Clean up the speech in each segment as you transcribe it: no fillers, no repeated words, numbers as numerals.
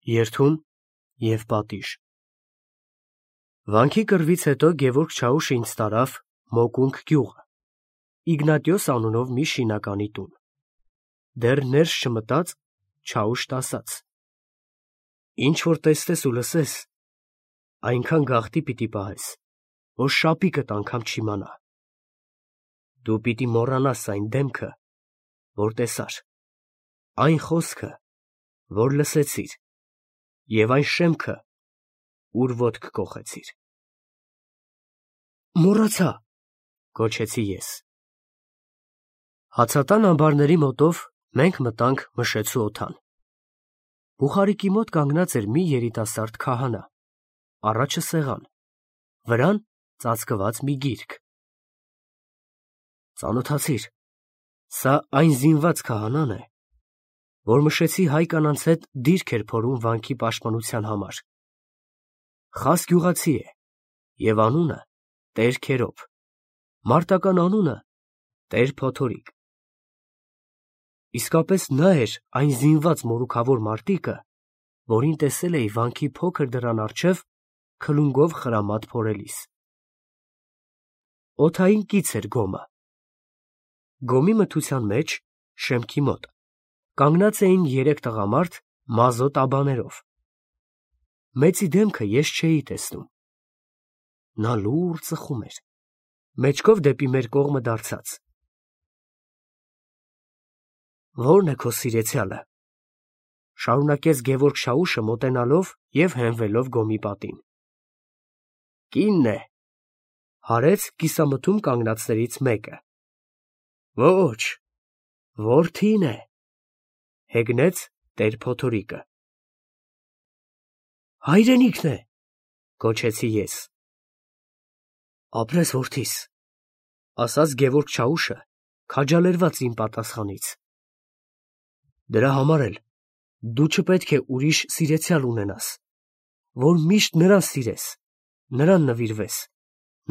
Երթուն և պատիժ։ Վանքի կռվից հետո Գևորգ Չաուշը ինձ տարավ Մոկունք գյուղը, Իգնատիոս անունով մի շինականի տուն։ Դեռ ներս չմտած, Չաուշտ ասաց. «Ինչ որ տեսնես ու լսես, այնքան գաղտնի պիտի պահես, որ շապիկդ անգամ չիմանա։ Դու պիտի մոռանաս այն դեմքը, որ տեսար, այն խոսքը, որ լսեցիր, և այն շեմքը, ուր ոտք կոխեցիր»։ «Մոռացա», գոչեցի ես։ Հացատան ամբարների մոտով մենք մտանք Մշեցու օդան։ Բուխարիկի մոտ կանգնած էր մի երիտասարդ քահանա, առաջը սեղան, վրան ծածկված մի գիրք։ Ծանոթացիր, սա այն զինված քահանան է, որ Մշեցի հայ կանանց հետ դիրք էր փորում վանքի պաշտպանության համար։ Խաս գյուղացի է և անունը Տեր Քերոբ, մարտական անունը Տեր Փոթորիկ։ Իսկապես նա էր այն զինված մորուքավոր մարտիկը, որին տեսել էի վանքի փոքր դռան առջև քլունգով խրամատ փորելիս։ Օդային կից էր գոմը։ Գոմի մթության մեջ, շեմքի մոտ, կանգնած էին երեք տղամարդ մազոտ աբաներով։ Մեծի դեմքը ես չէի տեսնում։ Նա լուռ ծխում էր, մեջքով դեպի մեր կողմը դարձած։ «Ո՞րն է քո սիրեցյալը», շարունակեց Գևորգ Շաուշը մոտենալով և հենվելով գոմի պատին։ «Կինն է», հարեց կիսամթում կանգնածներից մեկը։ «Ոչ, որդին է», հեգնեց Տեր Փոթորիկը։ «Հայրենիքն է», գոչեցի ես։ «Ապրես որդիս», ասաց Գևորգ Չաուշը, քաջալերված իմ պատասխանից։ «Դրա համար էլ դու չպետք է ուրիշ սիրեցյալ ունենաս, որ միշտ նրան սիրես, նրան նվիրվես,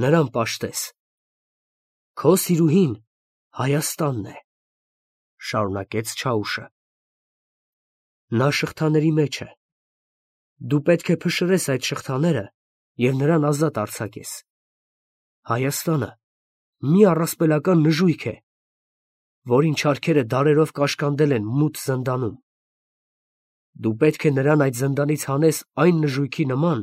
նրան պաշտես։ Քո սիրուհին Հայաստանն է», շարունակեց Չաուշը։ «Նա շղթաների մեջ է։ Դու պետք է փշրես այդ շղթաները և նրան ազատ արձակես։ Հայաստանը մի առասպելական նժույգ է, որին չարքերը դարերով կաշկանդել են մութ զնդանում։ Դու պետք է նրան այդ զնդանից հանես այն նժույգի նման,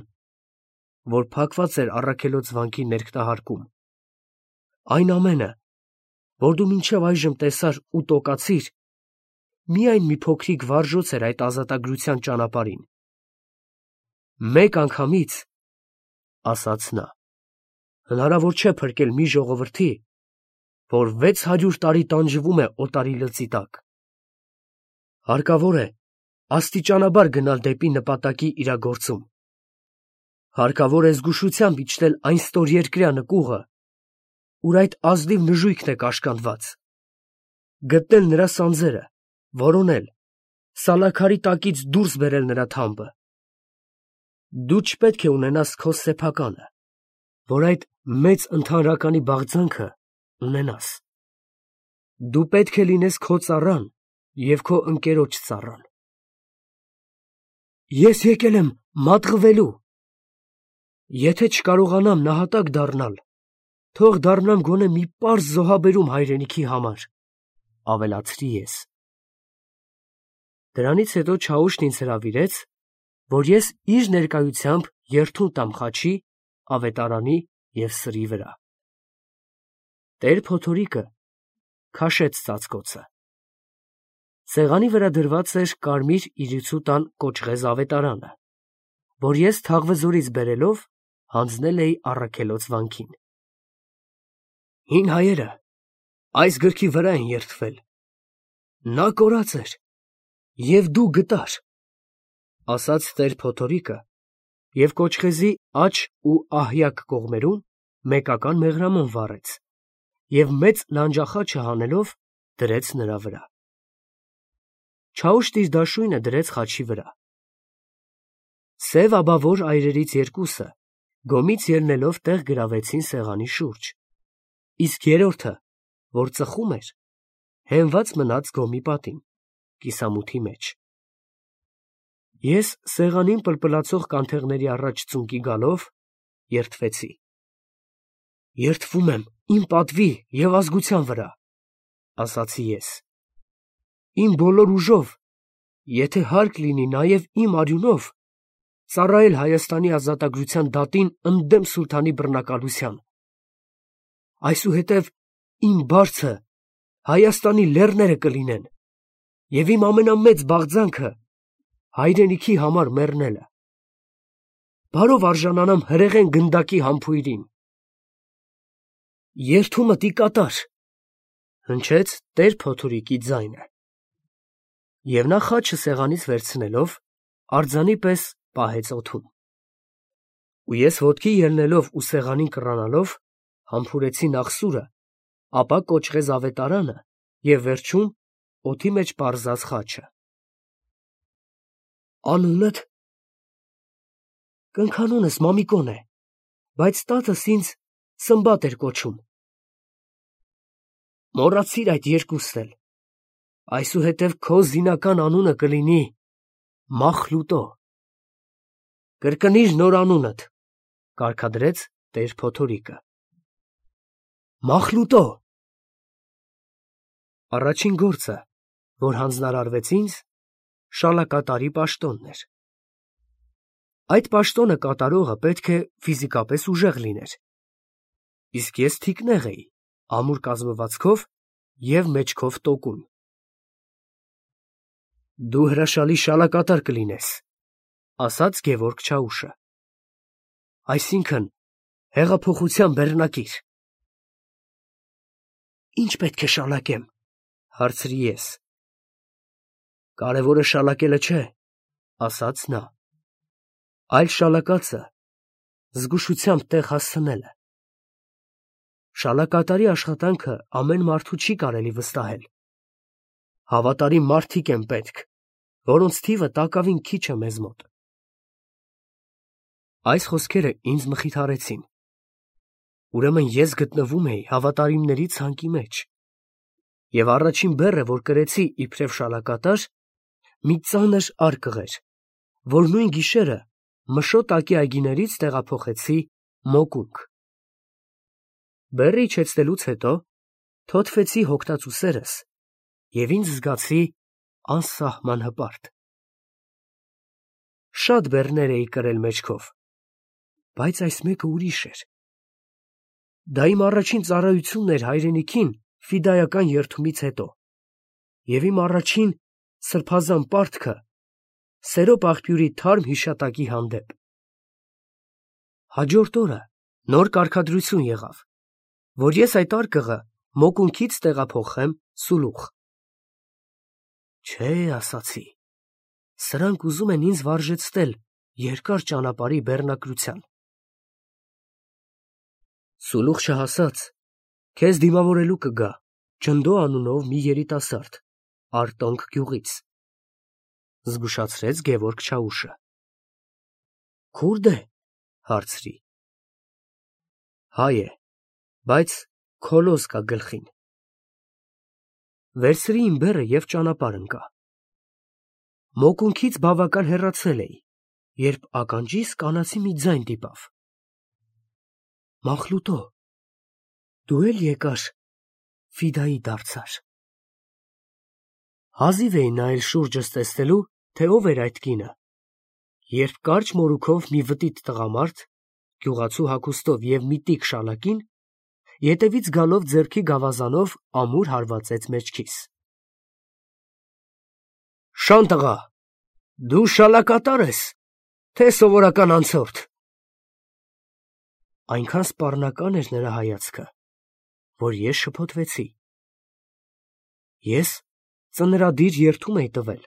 որ փակված էր առաքելոց վանքի ներքնահարկում։ Այն ամենը, որ դու մինչև այժմ տեսար ու տոկացիր, միայն մի փոքրիկ վարժոց էր այդ ազատագրության ճանապարհին։ Մեկ անգամից, ասաց նա, հնարավոր չէ փրկել մի ժողովրդի, որ 600 տարի տանջվում է օտարի լծի տակ։ Հարկավոր է աստիճանաբար գնալ դեպի նպատակի իրագործում։ Հարկավոր է զգուշությամբ իջնել այն ստորերկրյա նկուղը, ուր այդ ազնիվ նժույգն է կաշկանդված, գտնել նրա սանձերը, որոնել, սալաքարի տակից դուրս բերել նրա թամբը։ Դու չպետք է ունենաս քո սեփականը, որ այդ մեծ ընդհանրականի բաղձանքը ունենաս։ Դու պետք է լինես քո ծառան և քո ընկերոջ ծառան։ Ես եկել եմ մատղվելու։ Եթե չկարողանամ նահատակ դառնալ, թող դառնամ գոնե մի պարզ զոհաբերում հայրենիքի համար, ավելացրի ես։ Դրանից հետո Չաուշն ինձ հրավիրեց, որ ես իր ներկայությամբ երթուն տամ խաչի, ավետարանի և սրի վրա։ Տեր Փոթորիկը քաշեց ծածկոցը։ Սեղանի վրա դրված էր կարմիր իրիցու տան կոճղեզ ավետարանը, որ ես Թաղվզորից բերելով հանձնել էի առաքելոց վանքին։ Հին հայերը այս գրքի վրա են երդվել։ Նա կորած էր, և դու գտար, ասաց Տեր Փոթորիկը և կոճղեզի աջ ու ահյակ կողմերում մեկական մեղրամոմ վառեց և մեծ լանջախաչը հանելով դրեց նրա վրա։ Չաուշտ իր դաշույնը դրեց խաչի վրա։ Սև աբավոր այրերից երկուսը գոմից ելնելով տեղ գրավեցին սեղանի շուրջ, իսկ երրորդը, որ ծխում էր, հենված մնաց գոմի պատին, կիսամութի մեջ։ Ես սեղանին պլպլացող կանթեղների առաջ ծունկի գալով երդվեցի. «Երդվում եմ իմ պատվի և ազգության վրա», ասացի ես, «իմ բոլոր ուժով, եթե հարկ լինի նաև իմ արյունով, ծառայել Հայաստանի ազատագրության դատին ընդդեմ սուլթանի բռնակալության։ Այսուհետև իմ բարձը Հայաստանի լեռները կլինեն, և իմ ամենամեծ բաղձանքը հայրենիքի համար մեռնելը։ Բարով արժանանամ հրեղեն գնդակի համբույրին»։ «Երդումդ ի կատար», հնչեց տեր-Փոթուրիկի ձայնը, և նա խաչը սեղանից վերցնելով արձանի պես պահեց օդում։ Ու ես ոտքի ելնելով ու սեղանին կռանալով համբուրեցի նախ սուրը, ապա կոճղեզ ավետարանը և վերջում օդի մեջ պարզած խաչը։ «Անունդ»։ «Կնքանունս Մամիկոն է, բայց տատս ինձ Սմբատ էր կոչում»։ «Մոռացիր այդ երկուստ էլ, այսուհետև քո զինական անունը կլինի Մախլուտո»։ «Կրկնիր նոր անունդ», կարգադրեց տեր-Փոթորիկը։ «Մախլուտո»։ Առաջին գործը, որ հանձնարարվեց ինձ, շալակատարի պաշտոնն էր։ Այդ պաշտոնը կատարողը պետք է ֆիզիկապես ուժեղ լիներ, իսկ ես թիկնեղ էի, ամուր կազմվածքով և մեջքով տոկուն։ «Դու հրաշալի շալակատար կլինես», ասաց Գևորգ Չաուշը, «այսինքն հեղափոխության բեռնակիր»։ «Ի՞նչ պետք է շալակեմ», հարցրի ես։ «Կարևորը շալակելը չէ», ասաց նա, «այլ շալակածը զգուշությամբ տեղ հասցնելը։ Շալակատարի աշխատանքը ամեն մարդու չի կարելի վստահել։ Հավատարիմ մարդիկ են պետք, որոնց թիվը տակավին քիչ է մեզ մոտ»։ Այս խոսքերը ինձ մխիթարեցին։ Ուրեմն ես գտնվում էի հավատարիմների ցանկի մեջ, և առաջին բեռը, որ կրեցի իբրև շալակատար, մի ծանր արկղ էր, որ նույն գիշերը Մշոտակի այգիներից տեղափոխեցի Մոկունք։ Բեռը իջեցնելուց հետո թոթվեցի հոգտածուսերս և ինձ զգացի անսահման հպարտ։ Շատ բեռներ էի կրել մեջքով, բայց այս մեկը ուրիշ էր։ Դա իմ առաջին ծառայությունն էր հայրենիքին ֆիդայական երդումից հետո, և իմ առաջին սրբազան պարտքը Սերոպ աղբյուրի թարմ հիշատակի հանդեպ։ Հաջորդ օրը նոր կարգադրություն եղավ, որ ես այդ արկղը Մոկունքից տեղափոխեմ Սուլուխ։ «Չէ», ասացի, «սրանք ուզում են ինձ վարժեցնել երկար ճանապարհի բեռնակրության»։ «Սուլուխ չհասած, քեզ դիմավորելու կգա Ջնդո անունով մի երիտասարդ Արտոնք գյուղից», զգուշացրեց Գևորգ Չաուշը։ «Քուրդ է?» հարցրի։ «Հայ է, բայց քոլոզ կա գլխին»։ Վերցրի իմ բեռը և ճանապարհ ընկա։ Մոկունքից բավական հեռացել էի, երբ ականջիս կանացի մի ձայն դիպավ. «Մախլուտո, դու էլ եկար ֆիդայի դարձար»։ Հազիվ էի նայել շուրջս տեսնելու, թե ով էր այդ կինը, երբ կարճ մորուքով մի վտիտ տղամարդ, գյուղացու հագուստով և միտիկ շալակին, ետևից գալով ձեռքի գավազանով ամուր հարվածեց մեջքիս։ «Շան տղա, դու շալակատա՞ր ես, թե սովորական անցորդ»։ Այնքան սպառնական էր նրա հայացքը, որ ես շփոթվեցի։ Ես ծնրադիր երդում էի տվել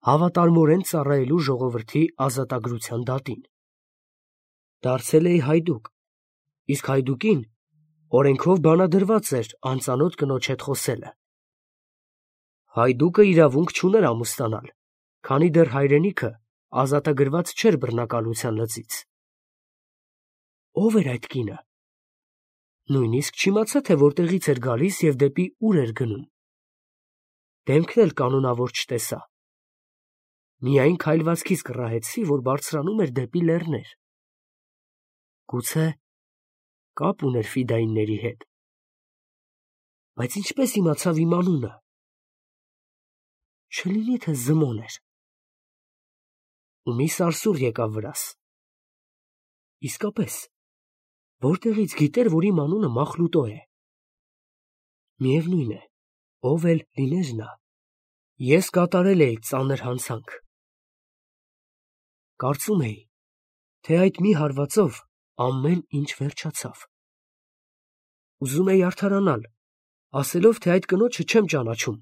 հավատարմորեն ծառայելու ժողովրդի ազատագրության դատին։ Դարձել էի հայդուկ, իսկ հայդուկին օրենքով բանադրված էր անծանոթ կնոջ հետ խոսելը։ Հայդուկը իրավունք չուներ ամուսնանալ, քանի դեռ հայրենիքը ազատագրված չէր բռնակալության լծից։ Ո՞վ էր այդ կինը։ Նույնիսկ չիմացա, թե որտեղից էր գալիս և դեպի ուր էր գնում։ Դեմքն էլ կանոնավոր չտեսա։ Միայն քայլվածքից կռահեցի, որ բարձրանում էր դեպի լեռներ։ Գուցե կապ ուներ ֆիդայինների հետ։ Բայց ինչպես իմացավ իմ անունը։ Չլինի թե Զմոն էր։ Ու մի սարսուռ եկավ վրաս։ Իսկապես, որտեղից գիտեր, որ իմ անունը Մախլուտո է։ Միևնույն է, ով էլ լիներ նա, ես կատարել էի ծանր հանցանք։ Կարծում էի, թե այդ մի հարվածով ամեն ինչ վերջացավ։ Ուզում էի արդարանալ, ասելով, թե այդ կնոջը չեմ ճանաչում։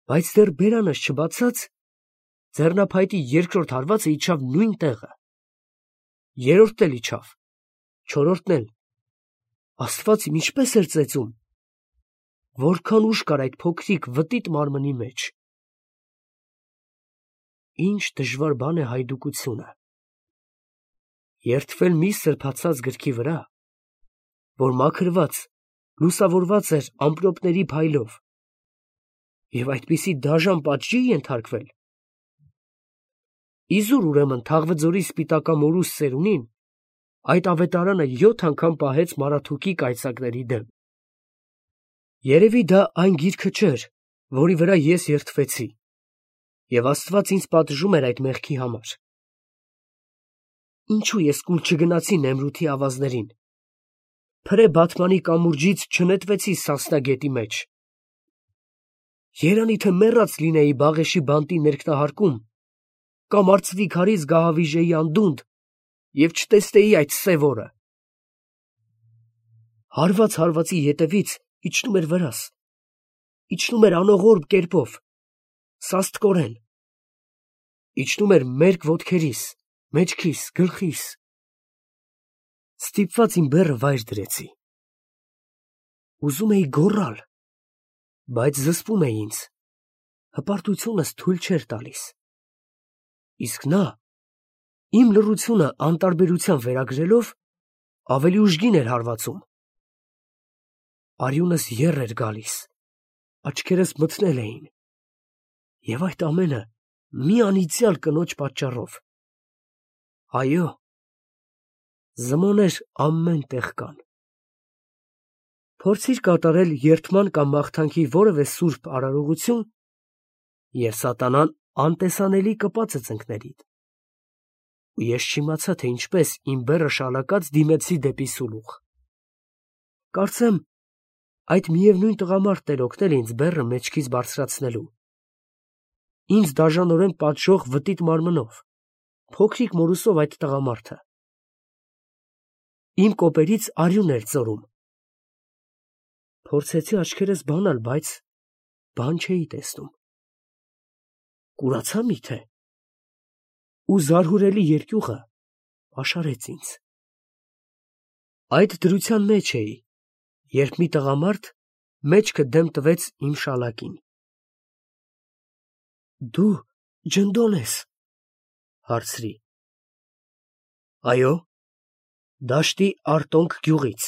Բայց դեռ բերանս չբացած, ձեռնափայտի երկրորդ հարվածը իջավ նույն տեղը։ Երրորդն էլ իջավ, չորրորդն էլ։ Աստված իմ ինչպես էր ծեծում։ Որքան ուժ կար այդ փոքրիկ վտիտ մարմնի մեջ։ Ինչ դժվար բան է հայդուկությունը։ Երդվել մի սրբացած գրքի վրա, որ մաքրված, լուսավորված էր ամպրոպների փայլով, և այդպիսի դաժան պատժի ենթարկվել։ Իզուր ուրեմն Թաղվձորի սպիտակամորուս ծերունին այդ ավետարանը 7 անգամ պահեց Մարաթուկի կայծակների դեմ։ Երևի դա այն գիրքը չէր, որի վրա ես երդվեցի, և Աստված ինձ պատժում էր այդ մեղքի համար։ Ինչու ես կուլ չգնացի Նեմրութի ավազներին, փրե Բաթմանի կամուրջից չնետվեցի Սասնա գետի մեջ։ Երանի թե մեռած լինեի Բաղեշի բանտի ներքնահարկում, կամ արծվի քարից գահավիժեի անդունդ և չտեսնեի այդ սև օրը։ Հարված հարվածի ետևից իջնում էր վրաս, իջնում էր անողորմ կերպով, սաստկորեն, իջնում էր մերկ ոտքերիս, մեջքիս, գլխիս։ Ստիպված իմ բեռը վայր դրեցի։ Ուզում էի գոռալ, բայց զսպում էի ինձ, հպարտությունս թույլ չէր տալիս։ Իսկ նա, իմ լռությունը անտարբերության վերագրելով, ավելի ուժգին էր հարվածում։ Արյունս եռ էր գալիս, աչքերս մթնել էին, և այդ ամենը մի անիծյալ կնոջ պատճառով։ Այո, Զմոներ ամեն տեղ կան։ Փորձիր կատարել երդման կամ մաղթանքի որևէ սուրբ արարողություն, և սատանան անտեսանելի կպած է ծնկներիդ։ Ու ես չիմացա, թե ինչպես իմ բեռը շալակած դիմեցի դեպի սուլուխ։ Կարծեմ, այդ միևնույն տղամարդն էր օգնել ինձ բեռը մեջքից բարձրացնելու։ Ինձ դաժանորեն պատժող վտիտ մարմնով, փոքրիկ մորուսով այդ տղամարդը։ Իմ կոպերից արյուն էր ծորում։ Փորձեցի աչքերս բանալ, բայց բան չէի տեսնում։ Կուրացա միթե։ Ու զարհուրելի երկյուղը պաշարեց ինձ։ Այդ դրության մեջ էի, երբ մի տղամարդ մեջքը դեմ տվեց իմ շալակին։ Դու Ջնդոն ես, հարցրի։ Այո, դաշտի Արտոնք գյուղից։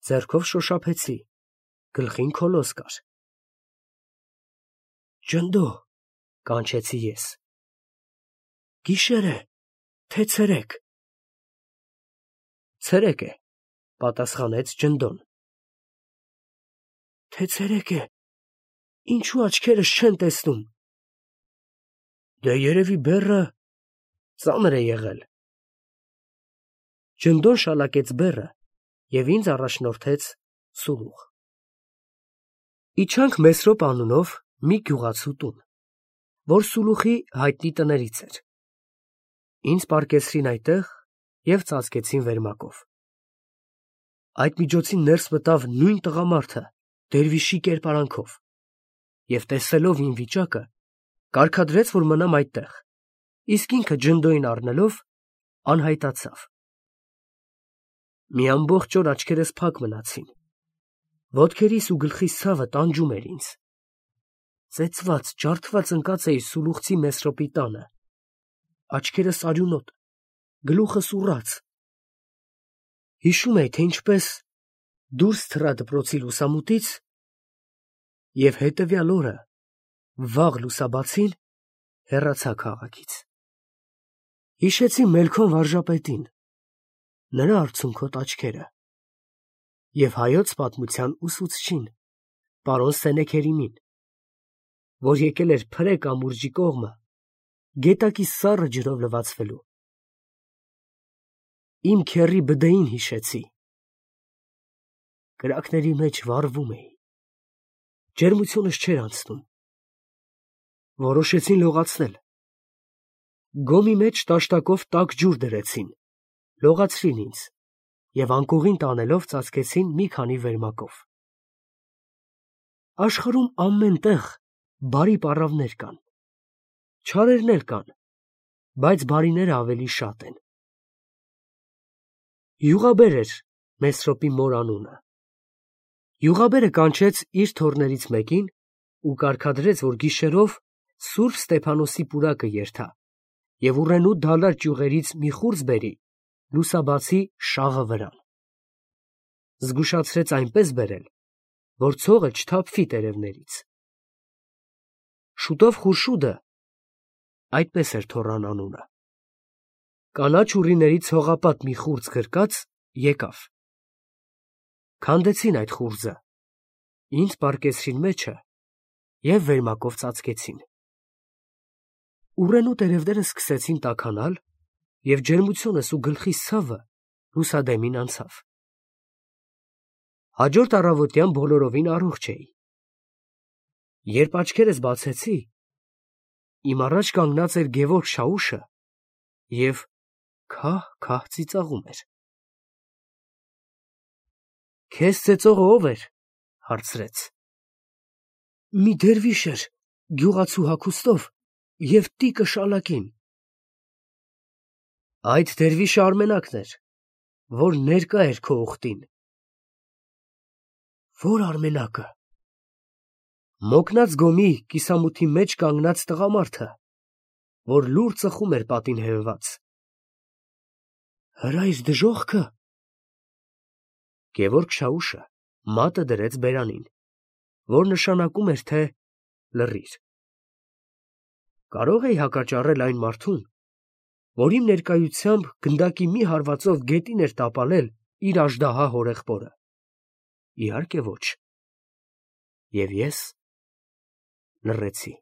Ձեռքով շոշափեցի, գլխին քոլոս կար։ Ջնդո, կանչեցի ես։ Գիշեր է, թե ցերեկ։ Ցերեկ է, պատասխանեց Ջնդոն։ Թե ցերեկ է, ինչու աչքերս չեն տեսնում։ Դե երևի բեռը ծանր է եղել։ Ջնդոն շալակեց բեռը և ինձ առաջնորդեց սուլուխ։ Իջանք Մեսրոպ անունով մի գյուղացու տուն, որ սուլուխի հայտնի տներից էր։ Ինձ պառկեցրին այնտեղ և ծածկեցին վերմակով։ Այդ միջոցին ներս մտավ նույն տղամարդը դերվիշի կերպարանքով և տեսելով իմ վիճակը, կարգադրեց, որ մնամ այդտեղ, իսկ ինքը Ջնդոյին առնելով անհայտացավ։ Մի ամբողջ օր աչքերս փակ մնացին, ոտքերիս ու գլխիս ցավը տանջում էր ինձ։ Ծեծված, ջարդված ընկած էի սուլուխցի Մեսրոպի տանը, աչքերս արյունոտ, գլուխս ուռած։ Հիշում էի, թե ինչպես դուրս թռա դպրոցի լուսամուտից և հետևյալ օրը Վաղ լուսաբացին հեռացա քաղաքից։ Հիշեցի Մելքոն վարժապետին, նրա արցունքոտ աչքերը և հայոց պատմության ուսուցչին, պարոն Սենեքերիմին, որ եկել էր Փրե կամուրջի կողմը գետակի սառը ջրով լվացվելու։ Իմ քեռի բդեին հիշեցի։ Կրակների մեջ վառվում էի, ջերմությունս չէր անցնում։ Որոշեցին լողացնել։ Գոմի մեջ տաշտակով տաք ջուր դրեցին, լողացրին ինձ և անկողին տանելով ծածկեցին մի քանի վերմակով։ Աշխարհում ամեն տեղ բարի պառավներ կան, չարերն էլ կան, բայց բարիները ավելի շատ են։ Յուղաբեր էր Մեսրոպի մոր անունը։ Յուղաբերը կանչեց իր թոռներից մեկին ու կարգադրեց, որ գիշերով Սուրբ Ստեփանոսի պուրակը երթա և ուռենու դալար ճյուղերից մի խուրձ բերի լուսաբացի շաղը վրան։ Զգուշացրեց այնպես բերել, որ ցողը չթափվի տերևներից։ Շուտով Խուրշուդը, այդպես էր թոռան անունը, կանաչ ուռիների ցողապատ մի խուրձ գրկած եկավ։ Քանդեցին այդ խուրձը, ինձ պառկեցրին մեջը և վերմակով ծածկեցին։ Ուռենու տերևները սկսեցին տաքանալ և ջերմությունս ու գլխիս ցավը լուսադեմին անցավ։ Հաջորդ առավոտյան բոլորովին առողջ էի։ Երբ աչքերս բացեցի, իմ առաջ կանգնած էր Գևորգ Շաուշը և քահ-քահ ծիծաղում էր։ «Քեզ ծեծողը ո՞վ էր» հարցրեց։ «Մի դերվիշ էր գյուղացու հագուստով և տիկը շալակին»։ «Այդ դերվիշը Արմենակն էր, որ ներկա էր քո ուխտին»։ «Ո՞ր Արմենակը»։ «Մոկնած գոմի կիսամութի մեջ կանգնած տղամարդը, որ լուռ ծխում էր պատին հենված»։ «Հրայր դժոխքը»։ Գևորգ Շաուշը մատը դրեց բերանին, որ նշանակում էր, թե լռիր։ Կարո՞ղ էի հակաճառել այն մարդուն, որ իմ ներկայությամբ գնդակի մի հարվածով գետին էր տապալել իր աժդահա հորեղբորը։ Իհարկե ոչ։ Եվ ես լռեցի։